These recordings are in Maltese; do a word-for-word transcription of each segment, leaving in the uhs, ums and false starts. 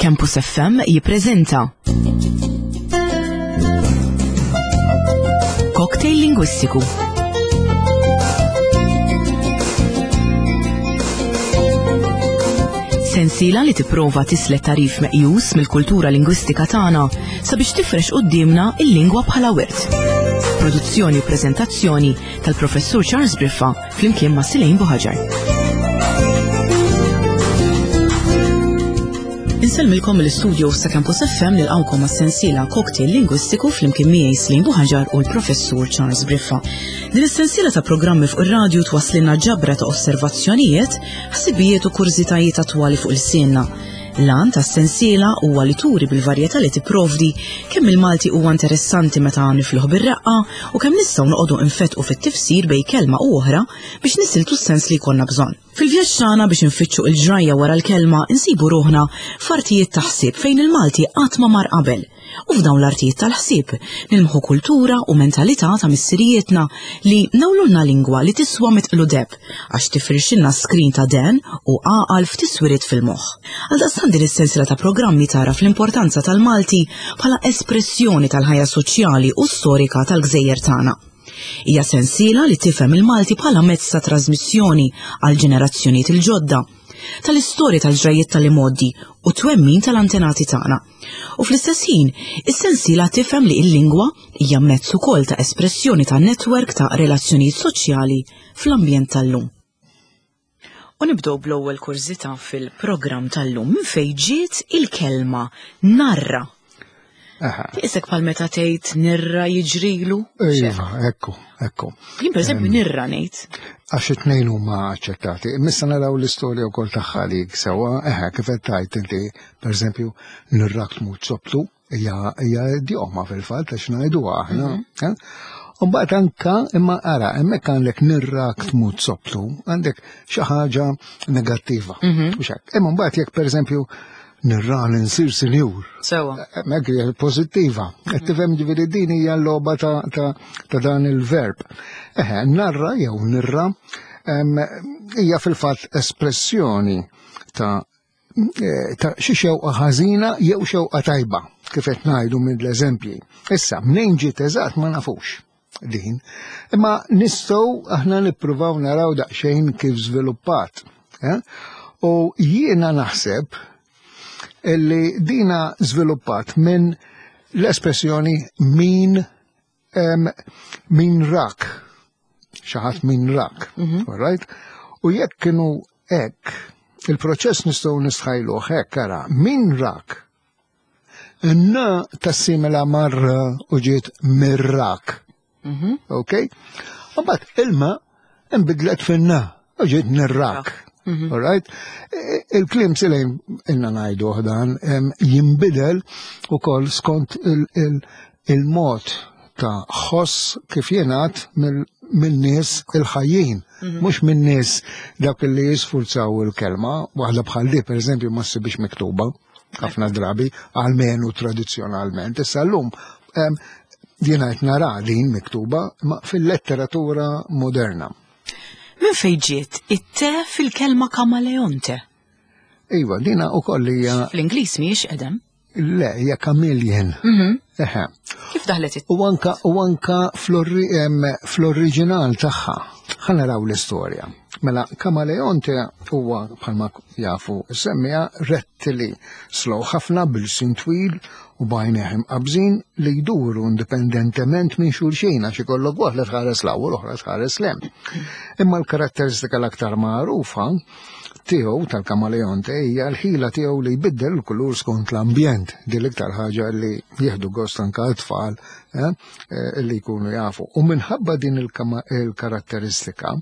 Campus F M jippreżenta Cocktail Lingwistiku. Sensiela li tipprova tislet tarif meqjus mill-kultura lingwistika tagħna sabiex tifrex quddiemna il-lingwa bħala wirt. Produzzjoni u preżentazzjoni tal-Professur Charles Briffa flimkien ma' Silejn Buħaġar. Insellmilkom mill-istudio ta' Campus F M nilqgħukom għas-sensiela Cocktail Lingwistiku flimkien miegħi Silejn Buħaġar u l-Professur Charles Briffa. Din is-sensiela ta' programmi fuq ir-radju twasslilna ġabra ta' osservazzjonijiet, ħsibijiet u kurżitajiet attwali fuq il-sienna. L-għan tas-sensiela huwa li turi bil-varjetà li tipprovdi kemm il-Malti huwa interessanti meta nifluh bir-reqqa u kemm nistgħu noqogħdu nfetqu fit-tifsir bejn kelma u oħra biex nisiltu s-sens li jkollna bżonn. Fil-vjaġġ tagħna biex infittxu l-ġrajja wara l-kelma insibu ruħna f'artijiet ta' ħsieb fejn il-Malti qatt ma mar qabel. U f'dawn l-artijiet tal-ħsieb nilmħu kultura u mentalità ta' missirijietna li nawlulna lingwa li tiswa mitqlu deb għax tifrixilna skrin ta' den u għaqal f'tiswiriet fil-moħħ. Għaldaqstant din is-sensiela ta' programmi tara fl-importanza tal-Malti bħala espressjoni tal-ħajja soċjali u storika tal-gżejjer tagħna. Hija sensiela li tifhem il-Malti bħala mezz ta' trasmissjoni għal ġenerazzjonijiet il-ġodda, tal-istorja tal-ġrajiet tal-imgħoddi u twemmin tal-antenati tagħna. U fl-istess ħin, is-sensiela tifhem li l-lingwa hija mezz ukoll ta' espressjoni ta' netwerk ta' relazzjonijiet soċjali fl-ambjent tal-lum. U nibdew bl-ewwel kurżità fil-programm tal-lum minn fejn ġiet il-kelma narra. Aha. Isek bħal meta tgħid nirra jiġrilu? Iva, ekku, ekku. Jien pereżempju Em, nirra ngħid. Għax it-tnejn huma aċċettati. Imma naraw l-istorja wkoll tagħha li sewwa, eħe, kif qed tgħid inti, pereżempju, nirrak tmut soptu, hija, hija idjoma fil-fatt għax ngħiduha aħna. Mhm. Eh? U mbagħad anka imma ara, hemmhekk għandek nirrak tmut soptu, għandek xi ħaġa negattiva. Mhm. Mhux hekk. Imma mbagħad jekk pereżempju nirran insir sinjur. Sewa. Hemmhekk hija pożittiva. Qed tifhem ġifieri din hija l-logħba ta', ta', ta' dan il-verb. Eħe, narra jew nirra, em, hija fil-fatt espressjoni ta', eh, ta' xi xewqa ħażina jew xewqa tajba, kif qed ngħidu mill-eżempji. Issa, mnejn ġiet eżatt ma nafux din, imma nistgħu aħna nippruvaw naraw daqsxejn kif żviluppat. Eh? U jiena naħseb illi dina żviluppat minn l-espressjoni min, em, min rak, xi ħadd min rak, Mhm. all right? U jekk kienu hekk, il-proċess nistgħu nistħajluh hekk, ara, min rak, n tassimila marra u ġiet mirrak. Mhm. Ok? U mbagħad ilma nbidlet finna u ġiet nirrak. Mhm. All right? E, il-klim silejn inna ngħidu dan, em, jinbidel ukoll skont il-, il-, il-mod ta' ħoss kif jingħad mill-, min-nies il-ħajjin, Mhm. mhux min-nies dawk li jisfurzaw il-kelma, waħda bħal di pereżempju ma ssibix miktuba ħafna drabi, almenu tradizzjonalment. Issa llum, em, jiena qed nara din miktuba ma fil-letteratura moderna. Minn fejn ġiet it-te fil-kelma kamaleonte? Iva, dina wkoll hija Fl-Ingliż mhijiex qedem. Le, hija chameleon. Mhm. Eħe. Kif daħlet it? U anka, u anka fl-orri-, em, fl-oriġinal tagħha. Ħa naraw l-istorja. Mela, kamaleonte huwa bħalma jafu semmija rettili slow ħafna bil-sin twil u bajnejh imqabżin li jduru indipendentement minn xulxin għax ikollok waħda tħares l u l-oħra tħares l hemm. Imma l-karatteristika l-aktar magħrufa tiegħu tal-kamaleonte hija l-ħila tiegħu li jbiddel il-kulur skont l-ambjent, din l-iktar ħaġa li jieħdu gost anke t-tfal, eh, eh, li jkunu jafu. U minħabba din il-kama-, il-karatteristika,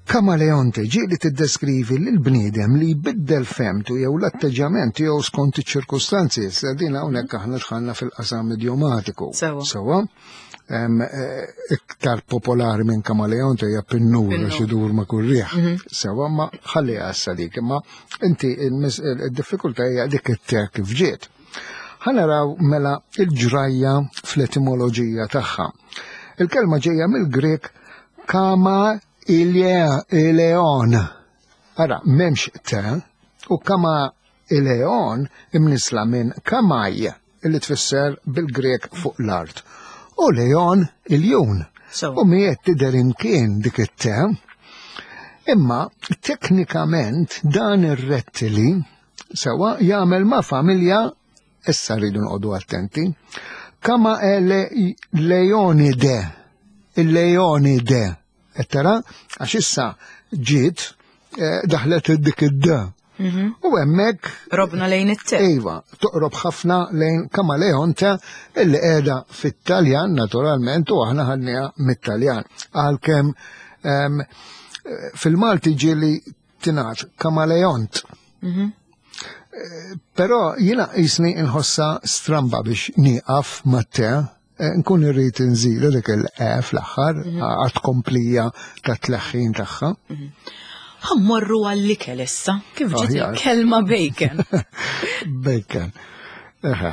kamaleonte ġie li tiddeskrivi lil bniedem li jbiddel femtu jew l-atteġġjament tiegħu skont iċ-ċirkustanzi. Issa din hawnhekk aħna dħalna fil-qasam idiomatiku. Sewa. Sewa. Em, eh, iktar popolari minn kamaleonte hija pinnur Pinnur. għax idur ma' kull riħ. Mhm. Sewa, ma ħalli għassa dik, imma inti il-mis-, il-diffikultà hija dik it-te kif ġiet. Ħa naraw mela il-ġrajja fl-etimoloġija tagħha. Il-kelma ġejja mill-Grek kama ileon. Ara, memx te, u kama Il-leon imnisla minn kamaj, illi tfisser bil-Grek fuq l-art. U leon iljun. So. U miet tidher imkien dik it-te. Imma teknikament dan ir-rettili sewa jagħmel ma' familja, issa rridu nqogħdu attenti, kama ele leonide, il-leonide, qed tara, għax issa ġiet eh, daħlet dik id-d. U hemmhekk Robna lejn it-te. Iva, toqrob ħafna lejn kamaleonte illi qiegħda fit-Taljan naturalment u aħna ħadniha mit-Taljan. Għalkemm em, fil-Malti ġieli tingħad kamaleont. Eh, Però jiena jisni nħossa stramba biex nieqaf mat-te, eh, nkun irrid inżidu dik il-e fl-aħħar għat komplija ta' tleħħin tagħha. Ħa mmorru għall-ikel issa. Kif ġiet Aħjar. il-kelma bacon? Bacon. Eħe.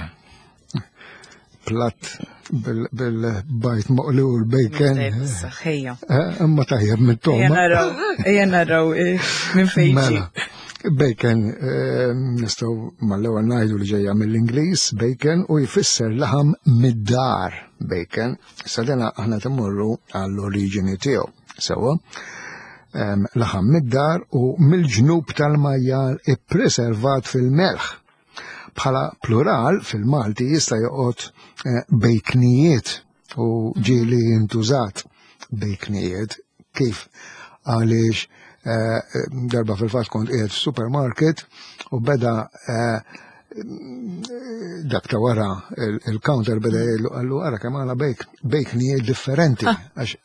Platt bil-bajd moqli u l-bacon. Tajjeb, issa, ħejja. Eh, Imma tajjeb Ejja mit-toma. naraw, ejja naraw eh, minn fejn ġie. Mela, bacon, eh, nistgħu mal-ewwel ngħidu li ġejja mill-Ingliż, bacon, u jfisser laħam mid-dar, bacon. Sa dena aħna timmorru għall-oriġini tiegħu. Sewwa. Em, laħam mid-dar u mill-ġnub tal-majjal ippreservat fil-melħ. Bħala plural fil-Malti jista' joqgħod eh, bejknijiet u ġieli jintużat bejknijiet. Kif? Għaliex eh, darba fil-fatt kont qiegħed f'supermarket u beda eh, dak ta' wara il- il-counter beda jgħidlu qallu ara kemm għandna bejk bejknijiet differenti għax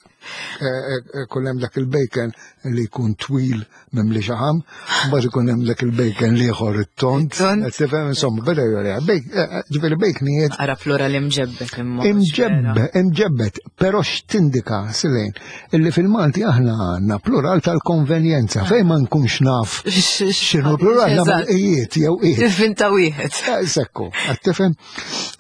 eh, eh, kull hemm dak il-bacon li jkun twil mimli xaħam, mbagħad ikun hemm dak il-bacon l-ieħor it-tond. It-tond. Qed tifhem insomma beda jgħidha bejk eh, ġifieri bejknijiet Ara plural imġebbet imma. Imġebbe, imġebbet, però x'tindika Silejn, illi fil-Malti aħna għandna plural tal-konvenjenza, fejn ma nkunx naf x'inhu plural nagħmel ijiet jew ijiet. Tivvinta wieħed. Eh, Sekku, qed tifhem?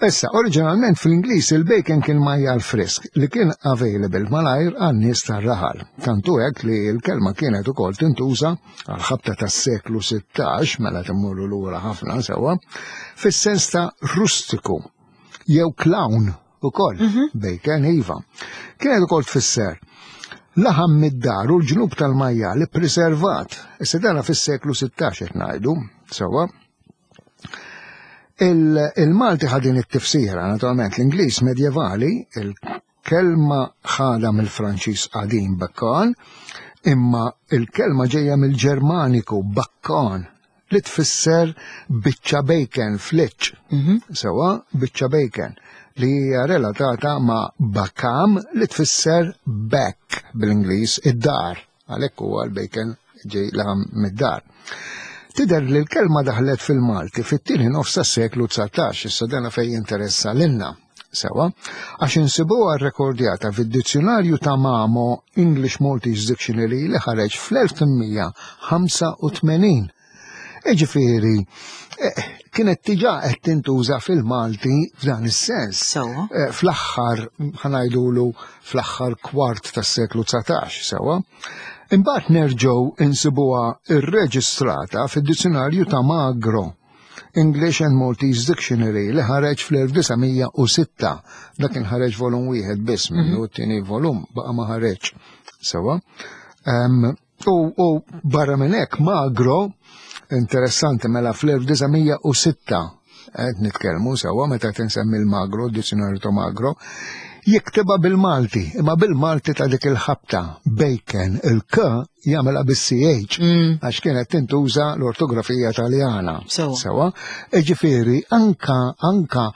Issa, oriġinalment fl-Ingliż il-bacon kien majjal frisk li kien available malajr għan-nies tar-raħal. Tantu hekk li l-kelma kienet ukoll tintuża għal ħabta tas-seklu sittax, mela timmurru lura ħafna sewwa, fis-sens ta' rustiku jew clown ukoll, bacon iva. Kienet ukoll tfisser laħam mid-dar u l-ġnub tal-majjal ippreservat. Issa dana fis-seklu sittax qed ngħidu, sewwa. Il- Il-Malti ħadin it-tifsira, naturalment, l-Ingliż medjevali, il-kelma ħada mill-Franċiż qadim bakkan, imma il-kelma ġejja mill-Ġermaniku bakkon, li tfisser biċċa bacon fliċ. Sewwa, biċċa bacon li hija relatata ma' bakam li tfisser back bil-Ingliż id-dar. Għalhekk huwa l-bacon ġej laħam mid-dar. Tidher li l-kelma daħlet fil-Malti fit-tieni nofs tas-seklu dsatax, issa dana fejn jinteressa lilna. Sewwa, għax insibuha rrekordjata fid-dizzjonarju ta' Mamo English Maltese Dictionary li ħareġ fl-elf tmien mija ħamsa u tmenin. Iġifieri, eh, kienet diġà qed tintuża fil-Malti f'dan is-sens. Sewwa. Eh, Fl-aħħar, ħa ngħidulu fl-aħħar kwart tas-seklu dsatax, sewwa. Imbagħad nerġgħu insibuha irreġistrata fid-dizzjonarju ta' Magro, English and Maltese Dictionary li ħareġ fl-elf disa' mija u sitta. Dak kien ħareġ volum wieħed biss minnu, t-tieni volum baqa' ma ħareġ. Sewwa. Em, U, u barra minn hekk Magro, interessanti mela fl-elf disa' mija u sitta qed nitkellmu sewwa meta tinsemmi l-Magro, d-dizzjonarju ta' Magro, jiktibha bil-Malti, imma bil-Malti ta' dik il-ħabta, bacon, il-K jagħmilha bis-C H, għax kienet tintuża l-ortografija Taljana. Sewwa. Sewwa, ġifieri anka anka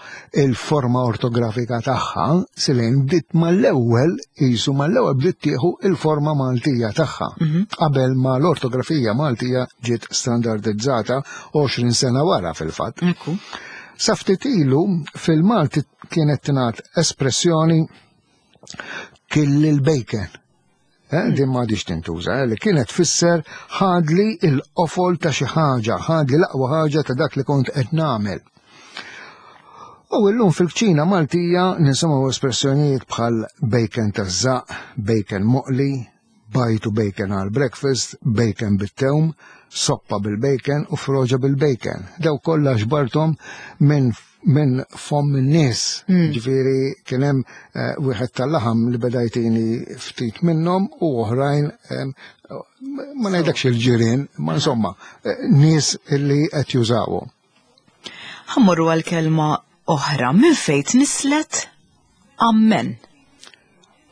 il-forma ortografika tagħha Silejn bdiet mal-ewwel qisu mal-ewwel bdiet tieħu il-forma Maltija tagħha. Qabel ma l-ortografija Maltija ġiet standardizzata għoxrin sena wara fil-fatt. Ekku. Sa ftit ilu fil-Malti kienet tingħad espressjoni kill il-bacon. Eh, din m'għadhiex tintuża, eh, li kienet tfisser ħadli il-qofol ta' xi ħaġa, ħadli l-aqwa ħaġa ta' dak li kont qed nagħmel. U illum fil-kċina Maltija nisimgħu espressjonijiet bħal bacon taż-żaqq, bacon moqli, bajd u bacon għal breakfast, bacon bit-tewm, soppa bil-bacon u froġa bil-bacon. Daw kollha ġbarthom minn minn fomm in-nies. Mm. Ġifieri kien hemm eh, wieħed tal-laħam li beda jtini ftit minnhom u oħrajn em, ma ngħidlekx il-ġirien, ma insomma, eh, nies li qed jużawhom. Ħa mmorru għal kelma oħra, minn fejn tnisslet ammen.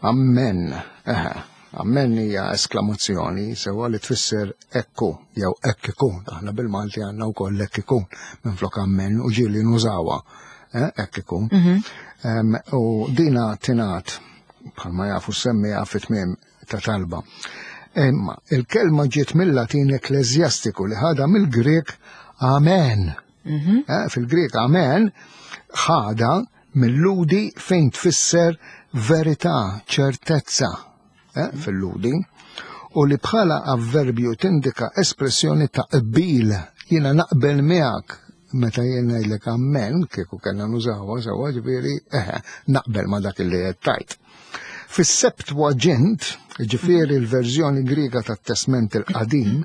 Ammen. Eħe. Ammen hija esklamazzjoni sewwa li tfisser ekku jew hekk ikun. Aħna bil-Malti għandna wkoll hekk ikun minflok ammen u ġieli nużawha. Eh, hekk ikun. Em, U dina tingħad bħalma jafu semmiha fit-tmiem ta' talba. Imma il-kelma ġiet mill-Latin ekklesjastiku li ħada mill-Grek amen. Eh, Fil-Grek amen ħada mill-Lhudi fejn tfisser verità, ċertezza eh, fil-Lhudi, u li bħala avverbju tindika espressjoni ta' qbil, jiena naqbel miegħek meta jien ngħidlek ammen, kieku kellna nużawha sewwa ġifieri, eħe, naqbel ma' dak li qed tajt. Fis-Septuagint, ġifieri l-verżjoni Griega tat-Testment il-Qadim,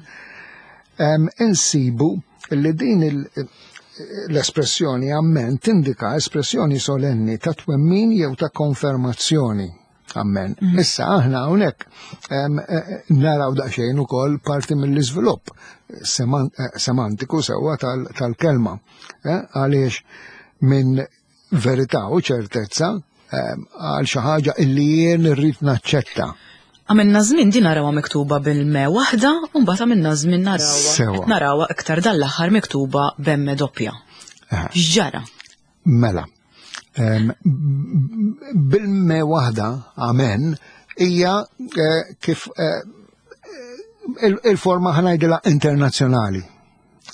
em, insibu li din il- l-espressjoni ammen tindika espressjoni solenni ta' twemmin jew ta' konfermazzjoni. Ammen. Issa aħna hawnhekk em, eh, naraw daqsxejn ukoll parti mill-iżvilupp seman- eh, semantiku sewwa tal- tal-kelma. Eh, Għaliex minn verità u ċertezza em, għal xi ħaġa illi jien irrid naċċetta. Għamilna żmien din narawha miktuba bil-me waħda, u mbagħad għamilna żmien narawha Sewwa. qed narawha iktar dan l-aħħar miktuba b'emme doppja. Eħe. X'ġara? Mela, em, bil-me waħda, amen, hija eh, kif eh, il- il-forma ħa ngħidilha internazzjonali.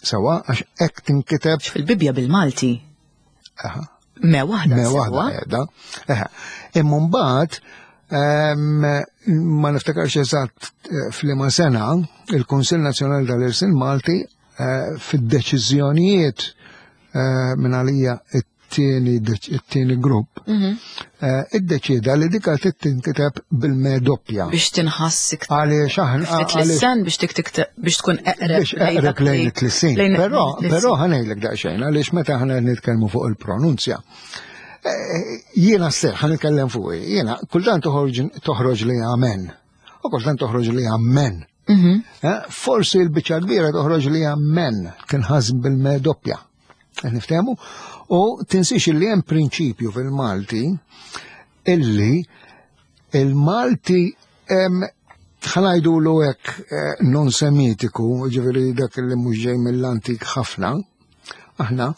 Sewwa, għax hekk tinkiteb Fil-Bibja bil-Malti aha, me waħda me sewwa. waħda qiegħda. Eħe. Imma mbagħad em, ma niftakarx eżatt eh, f'liema sena il-Kunsill Nazzjonali tal-Ilsien Malti eh, fid-deċiżjonijiet eh, minn għalija it-tieni deċ- it-tieni grupp Mhm. eh, iddeċieda li dika trid tinkiteb bil-me doppja. Biex tinħass iktar Għaliex aħna ftit għaliex lissen biex tik tik biex tkun eqreb biex eqreb lejn it-tlissin. lejn Però, it-tlissin. però ħa ngħidlek daqsxejn, għaliex meta ħana nitkellmu fuq il-pronunzja. eh, Jiena stess ħa nitkellem fuq, jiena kultant toħroġ toħroġ li amen, u kultant toħroġ li ammen. Mhm. Eh, Forsi l-biċċa kbira toħroġ li ammen, tinħass bil-me doppja. Qed Niftehmu? U tinsix li hemm prinċipju fil-Malti illi il-Malti em, ħa ngħidulu hekk eh, non semitiku, ġifieri dak li mhux ġej mill-antik ħafna, aħna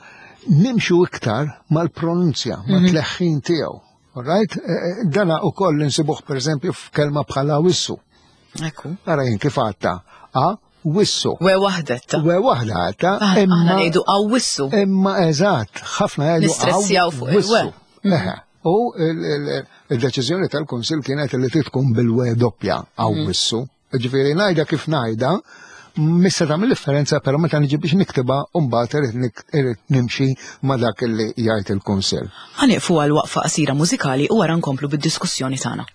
nimxu iktar mal-pronunzja, mat-tleħħin tiegħu. All right? Eh, eh, Dana ukoll insibuh per eżempju f'kelma bħala wissu. Ekku. Ara jien kif għadta, a wissu. We waħda ta' We waħda għadta, Aħna imma ngħidu awissu. imma eżatt, ħafna jgħidu Nistressjaw fuq il-we. wissu. Eħe. U il- il- il-deċiżjoni tal-Kunsill kienet li tkun bil-we doppja awissu. Ġifieri ngħidha kif ngħidha, missa tagħmel differenza, però meta niġi biex niktibha u mbagħad irid nik- irid nimxi ma' dak li jgħid il-Kunsill. Ħa nieqfu għal waqfa qasira mużikali u wara nkomplu bid-diskussjoni tagħna.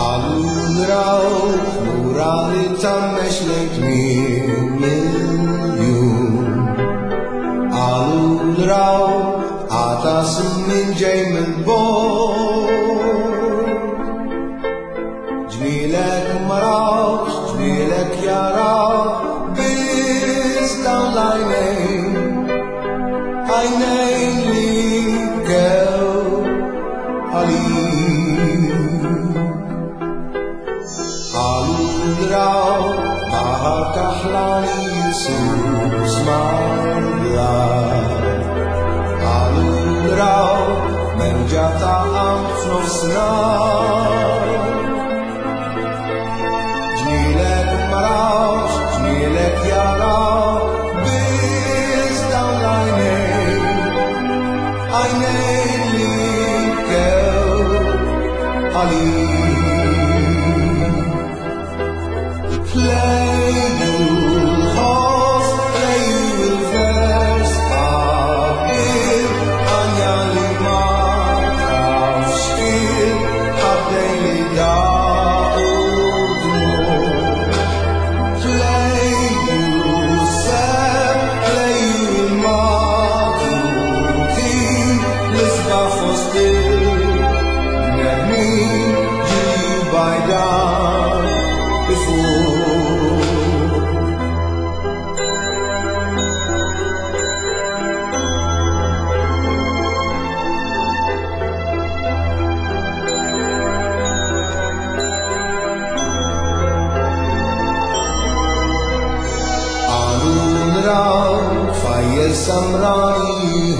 Għalluraw, lura li tammex lejn tmiem il-jum. Għalluraw, għatas minn ġej mill-bogħod. Ġmielek ma rawx, ġmielek jaraw, biss dawn l-għajnejn. Għajnejn li bkew għalik. Għaludraw, baħar kaħlani Jesus mal-blat. Għaludraw, mewġa ta' qamħ f'nofsinhar. Ġmielek ma rawx, ġmielek jaraw, biss dawn l-għajnejn. Għajnejn li bkew għalik. Ħlejju l-ħoss, ħlejju l-vers, għabbir għanja li ma tafx il-ħaddej li daqu dmugħ. Ħlejju s-seb, ħlejju l-matutin, l-isbaħ fost il-bnedmin, ġilju bajdan ifur. Qalu nraw tfajjel samrani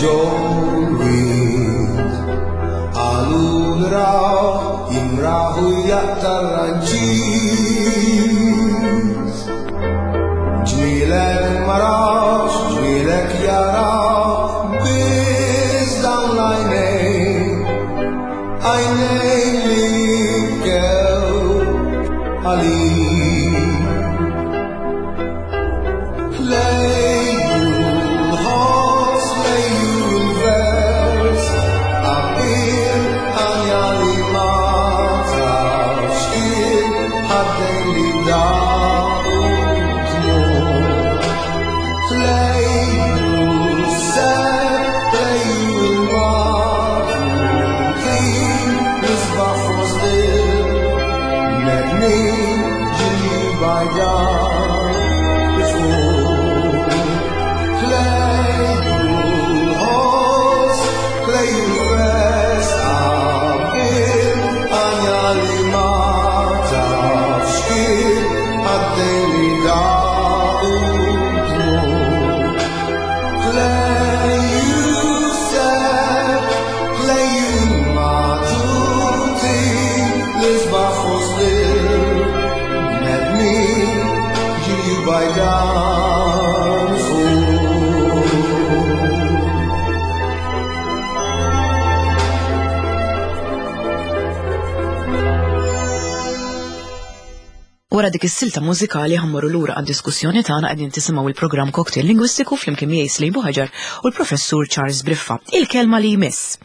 ġol-wied. Qalu nraw jimraħu jaqta' ranċis. Ġmielek ma rawx, ġmielek jaraw, biss dawn l-għajnejn, għajnejn li bkew għalik. Ħlejju l-ħoss, ħlejju l-vers, għabbir għanja li ma tafx il-ħaddejn li daqu dmugħ. Ħlejju s-seb, ħlejju l-matutin, l-isbaħ fost il-bnedmin, ġilju bajdan ifur. Ħlejju l-ħoss, ħlejju l-vers, għabbir għanja li ma tafx il-ħaddejn li daqu dmugħ. Ħlejju s-seb, ħlejju l-matutin, l-isbaħ fost il-bnedmin, ġilju bajdan ifur. Wara dik is-silta mużikali ħa mmorru lura għad-diskussjoni tagħna. Qegħdin tisimgħu il-programm Cocktail Lingwistiku flimkien miegħi Slim Buħaġar u l-Professur Charles Briffa. Il-kelma li jmiss.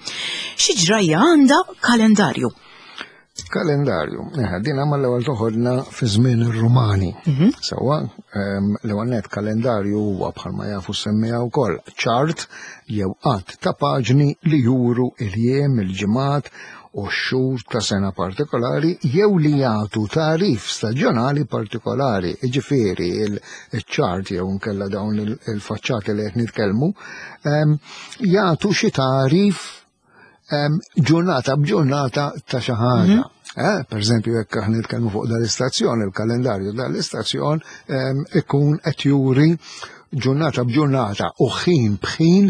Xi ġrajja għandha kalendarju? Kalendarju. Eh, Din għamma l-ewwel toħodna fi żmien ir-Rumani. Sewwa, ehm, l-ewwel net kalendarju huwa, bħalma jafu semmija wkoll, ċart jew għadd ta' paġni li juru il-jiem, il-ġimgħat u x-xhur ta' sena partikolari jew li jagħtu tarif staġjonali partikolari. Jiġifieri il-ċart jew nkella dawn il- il-faċċati li qed nitkellmu ehm, jagħtu xi tarif em, ġurnata b'ġurnata ta' xi ħaġa. Eh, per eżempju, jekk aħna nitkellmu fuq dal-istazzjon, il-kalendarju dal-istazzjon em, ikun qed juri ġurnata b'ġurnata u ħin b'ħin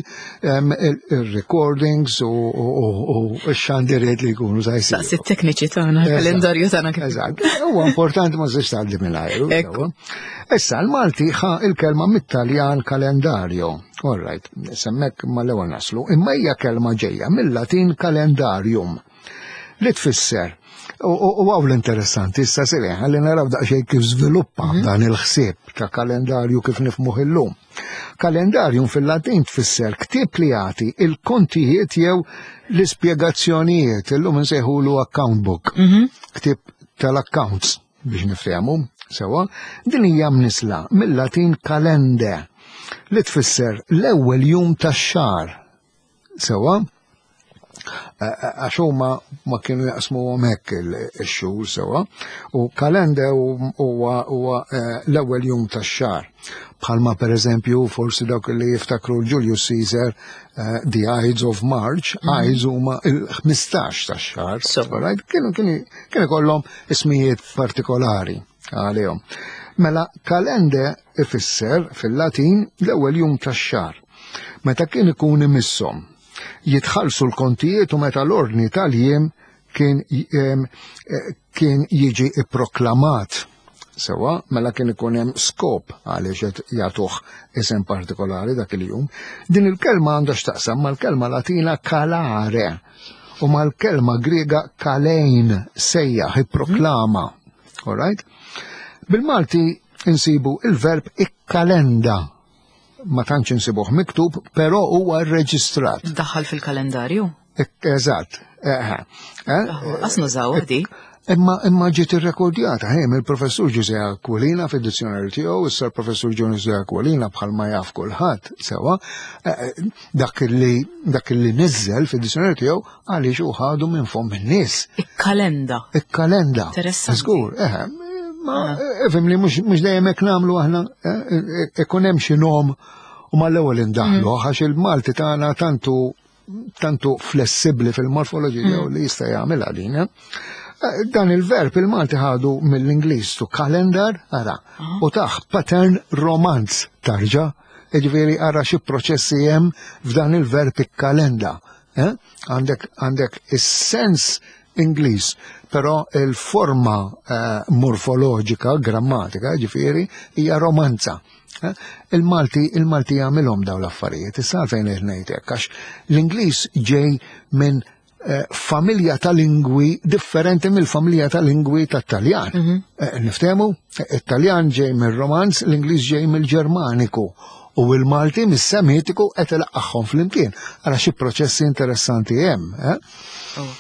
em, il- il-recordings u u- u x-xandiriet li jkunu sa jsiru. Daqs it-tekniċi tagħna, il-kalendarju tagħna kif. Eżatt. Huwa importanti, ma tistax tgħaddi mingħajru. Ekku. Sewwa. Issa l-Malti ħa il-kelma mit-Taljan kalendarju. All right, s'hemmhekk mal-ewwel naslu. Imma hija kelma ġejja mill-Latin calendarium li tfisser. U u hawn l-interessanti, issa sili, ħalli naraw daqsxejn kif żviluppa dan il-ħsieb ta' kalendarju kif nifhmuh illum. Calendarium fil-Latin tfisser ktieb li jagħti il-kontijiet jew l-ispjegazzjonijiet, illum insejħulu account book. Ktieb tal-accounts biex nifhemu, sewwa, din hija mnisla mill-Latin calende li tfisser l-ewwel jum tax-xahar. Sewwa, għax huma ma kienu jaqsmu hekk il-xhur, sewwa, u calende huwa huwa eh, l-ewwel jum tax-xahar. Bħalma per eżempju forsi dawk li jiftakru Julius Caesar, eh, the Ides of March, Ides huma il-ħmistax tax-xahar. So. Right? Kienu kienu kienu kollhom ismijiet partikolari għalihom. Mela calende ifisser fil-Latin l-ewwel jum tax-xahar. Meta kien ikun imisshom jitħallsu l-kontijiet u meta l-ordni tal-jiem kien em, eh, kien jiġi ipproklamat. Sewwa, mela kien ikun hemm skop għaliex qed jagħtuh isem partikolari dak il-jum. Din il-kelma għandha x'taqsam mal-kelma Latina calare u mal-kelma Griega kalein, sejjaħ, ipproklama. All right? Bil-Malti insibu il-verb ikkalenda. Ma tantx insibuh miktub, però huwa rreġistrat. Daħħal fil-kalendarju. Eżatt. Eh, eh, Qas nużaw di. Imma imma ġiet irrekordjata ħej mill-professur Ġużè Aquilina fid-dizzjonarju tiegħu, issa l-professur Ġużè Aquilina bħalma jaf kulħadd sewa, eh, dak li dak li niżel fid-dizzjonarju tiegħu għaliex hu ħadu minn fomm in-nies. Ikkalenda. Ikkalenda. Interessanti. Żgur, eh, ma ifhem li mhux mhux dejjem hekk nagħmlu aħna, eh, ikun hemm xi nom u mal-ewwel indaħlu għax il-Malti tagħna tantu tantu flessibbli fil-morfoloġija tiegħu li jista' jagħmilha din. eh. Dan il-verb il-Malti ħadu mill-Ingliż to calendar, ara, u taħ pattern romanz tarġa, ġifieri ara xi proċessi hemm f'dan il-verb ikkalenda. eh? Għandek għandek is-sens Ingliż, però il-forma eh, morfoloġika, grammatika, ġifieri, hija romanza. Eh? Il-Malti il-Malti jagħmilhom dawn l-affarijiet, issa għalfejn qed ngħid hekk, għax l-Ingliż ġej minn eh, familja ta' lingwi differenti mill-familja ta' lingwi tat-Taljan. Eh, Niftehmu? It-Taljan ġej mill-Romanz, l-Ingliż ġej mill-Ġermaniku u il-Malti mis-Semitiku qed ilaqqagħhom flimkien. Ara xi proċessi interessanti hemm, eh? Oh.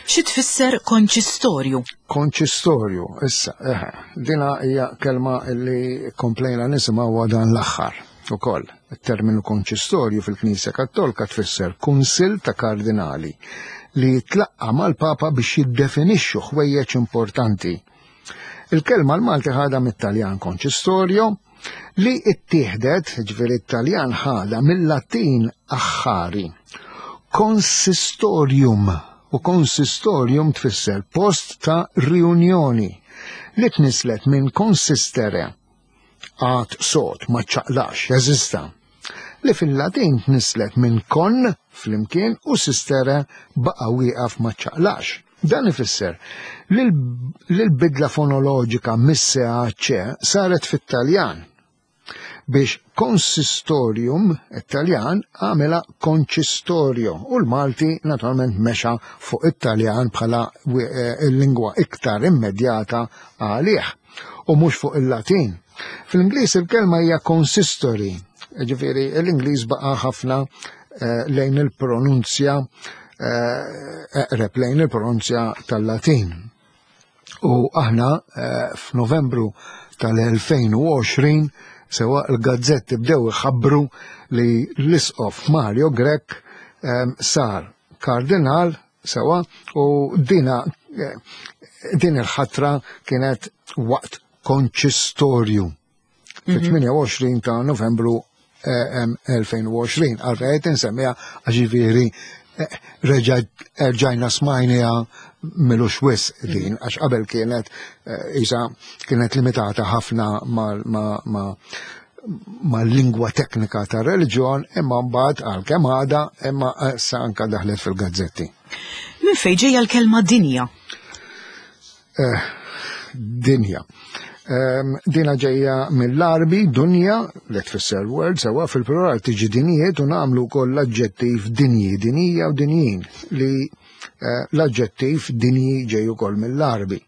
Xi tfisser konċistorju? Konċistorju, issa, eħe, dina hija kelma li komplejna nisimgħu dan l-aħħar ukoll. Il-terminu konċistorju fil-Knisja Kattolika tfisser kunsill ta' kardinali li jitlaqqa mal-Papa biex jiddefinixxu ħwejjeġ importanti. Il-kelma l-Malti ħadha mit-Taljan konċistorju li ittieħdet, ġifieri it-Taljan ħadha mill-Latin aħħari. Consistorium u consistorium tfisser post ta' riunjoni li tnislet minn consistere għad sod ma ċaqlax, jeżista li fil-Latin tnislet minn con flimkien u sistere baqa wieqaf ma ċaqlax. Dan ifisser li l-bidla fonoloġika mis-C C saret fit-Taljan biex consistorium Taljan għamela konċistorio u l-Malti naturalment mexa fuq it-Taljan bħala il-lingwa iktar immedjata għalih u mhux fuq il-Latin. Fl-Ingliż il-kelma hija consistory, ġifieri l-Ingliż baqa' ħafna lejn il-pronunzja eqreb lejn il-pronunzja tal-Latin. U aħna f'Novembru tal-elfejn u għoxrin sewa l-gazzetti bdew iħabbru li l-isqof Mario Grech sar kardinal sewa u dina din il-ħatra kienet waqt konċistorju fit-tmienja u għoxrin ta' Novembru elfejn u għoxrin. Għalfejn qed insemmiha għax ġifieri reġa' erġajna smajniha milux wisq din, għax qabel kienet isa kienet limitata ħafna mal-lingwa teknika ta' reliġjon, imma mbagħad għalkemm għadha, imma issa anka daħlet fil-gazzetti. Minn fejn ġejja l-kelma dinja? Dinja. Dina ġejja mill-Arbi, dunja, li tfisser word, sewa fil-plural tiġi dinijiet u nagħmlu wkoll l-aġġettiv dinji, dinija u dinjin, li l-aġġettiv dinji ġej ukoll mill-Arbi,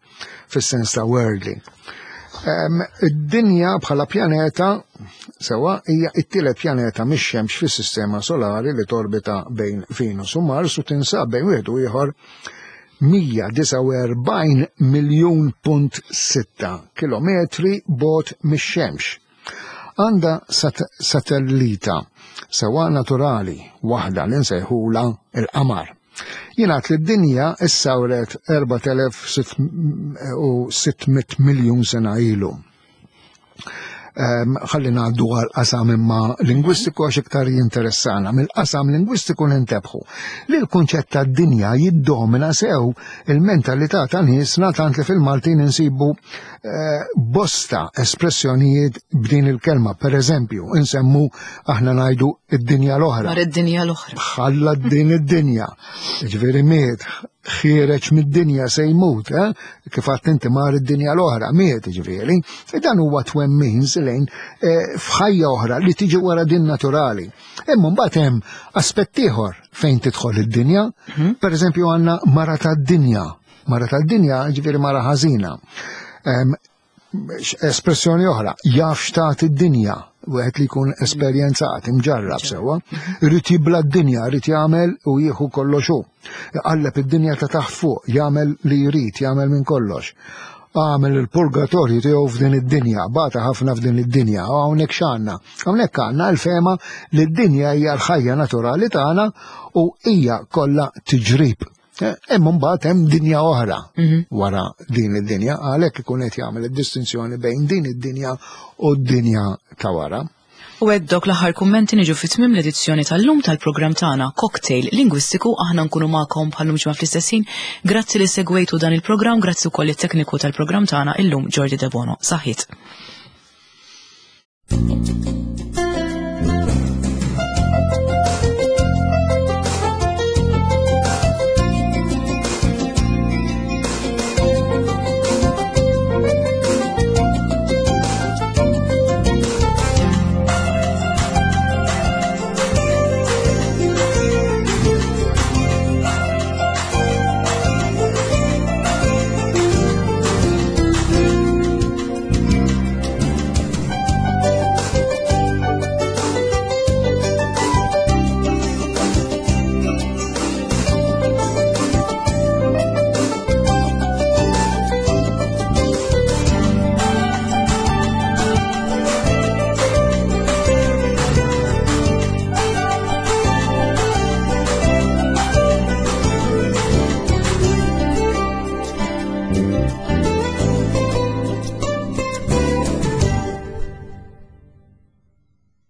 fis-sens ta' worldly. Id-dinja bħala pjaneta, sewa, hija t-tielet pjaneta mix-xemx fis-sistema solari li torbita bejn Venus u Mars u tinsab bejn wieħed u ieħor mija disgħa u erbgħin miljun punt sitta kilometri bot mix-xemx. Għandha satellita sewa naturali waħda li nsejħula il-qamar. Jingħad li d-dinja issawret erbat elef u sitt mitt miljun sena ilu. Ħalli ngħaddu għal qasam imma lingwistiku għax iktar jinteressana. Mill-qasam lingwistiku nintebħu li l-kunċett tad-dinja jiddomina sew il-mentalità ta' niesna tant li fil-Maltin insibu bosta espressjonijiet b'din il-kelma. Per eżempju, insemmu aħna ngħidu id-dinja l-oħra. Mar id-dinja l-oħra. Ħalla din id-dinja. Ġifieri miet, ħiereġ mid-dinja se jmut, eh? Kif għadt inti mar id-dinja l-oħra, miet ġifieri. E dan huwa twemmin lejn, eh, f'ħajja oħra li tiġi wara din naturali. Imma mbagħad hemm aspett ieħor fejn tidħol id-dinja. Mhm. Per eżempju għandna mara tad-dinja. Mara tad-dinja ġifieri mara ħażina. Em, Espressjoni oħra, jaf x'tat id-dinja, wieħed li jkun esperjenzat, imġarrab sewwa, irid jibla d-dinja, irid jagħmel u jieħu kollox hu. Iqalleb id-dinja ta' taħt fuq, jagħmel li jrid, jagħmel minn kollox. Għamel il-purgatorju tiegħu f'din id-dinja, bata ħafna f'din id-dinja, u hawnhekk x'għandna? Hawnhekk għandna l-fehma li d-dinja hija l-ħajja naturali tagħna u hija kollha tiġrib. Eh, Imma mbagħad hemm dinja oħra wara din id-dinja, għalhekk ikun qed jagħmel id-distinzjoni bejn din id-dinja u d-dinja ta' wara. U hekk dawk l-aħħar kummenti niġu fi tmiem l-edizzjoni tal-lum tal-programm tagħna Cocktail Lingwistiku. Aħna nkunu magħkom bħal-lum ġimgħa fl-istess ħin. Grazzi li segwejtu dan il-programm, grazzi wkoll it-tekniku tal-programm tagħna illum, Jordi Debono. Saħħit.